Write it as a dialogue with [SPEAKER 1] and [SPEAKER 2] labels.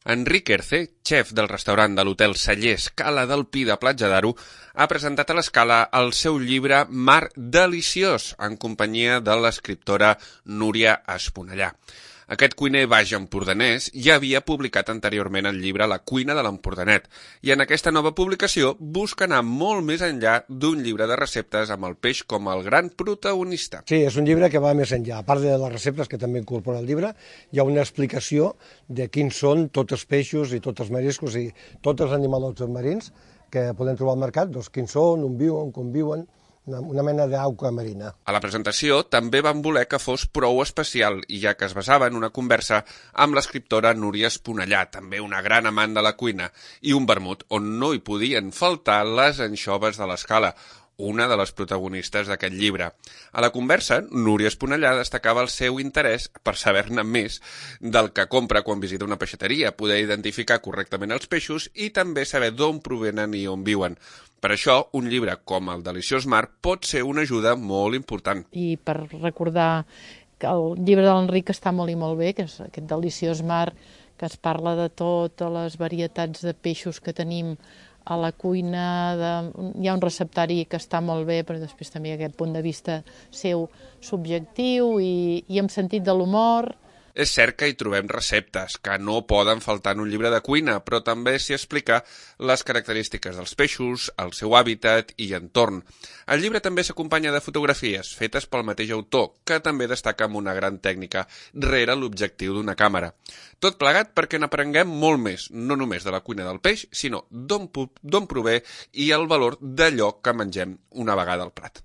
[SPEAKER 1] Enric Erce, xef del restaurant de l'hotel Cellers Cala del Pi de Platja d'Aro, ha presentat a l'Escala el seu llibre Mar deliciós, en companyia de l'escriptora Núria Esponellà. Aquest cuiner baix empordanès ja havia publicat anteriorment el llibre La cuina de l'Empordanet, i en aquesta nova publicació busca anar molt més enllà d'un llibre de receptes amb el peix com el gran protagonista.
[SPEAKER 2] Sí, és un llibre que va més enllà. A part de les receptes que també incorpora el llibre, hi ha una explicació de quins són tots els peixos i tots els mariscos i tots els animals marins que podem trobar al mercat, doncs quins són, on viuen, com viuen, una mena d'auca marina.
[SPEAKER 1] A la presentació també van voler que fos prou especial, ja que es basava en una conversa amb l'escriptora Núria Esponellà, també una gran amant de la cuina, i un vermut on no hi podien faltar les anxoves de l'Escala, una de les protagonistes d'aquest llibre. A la conversa, Núria Esponellà destacava el seu interès per saber-ne més del que compra quan visita una peixateria, poder identificar correctament els peixos i també saber d'on provenen i on viuen. Per això, un llibre com el Deliciós Mar pot ser una ajuda molt important.
[SPEAKER 3] I per recordar que el llibre de l'Enric està molt i molt bé, que és aquest Deliciós Mar, que es parla de totes les varietats de peixos que tenim a la cuina, hi ha un receptari que està molt bé, però després també aquest punt de vista seu subjectiu i amb sentit de l'humor.
[SPEAKER 1] És cert que hi trobem receptes que no poden faltar en un llibre de cuina, però també s'hi explica les característiques dels peixos, el seu hàbitat i entorn. El llibre també s'acompanya de fotografies fetes pel mateix autor, que també destaca amb una gran tècnica rere l'objectiu d'una càmera. Tot plegat perquè n'aprenguem molt més, no només de la cuina del peix, sinó d'on prové i el valor d'allò que mengem una vegada al plat.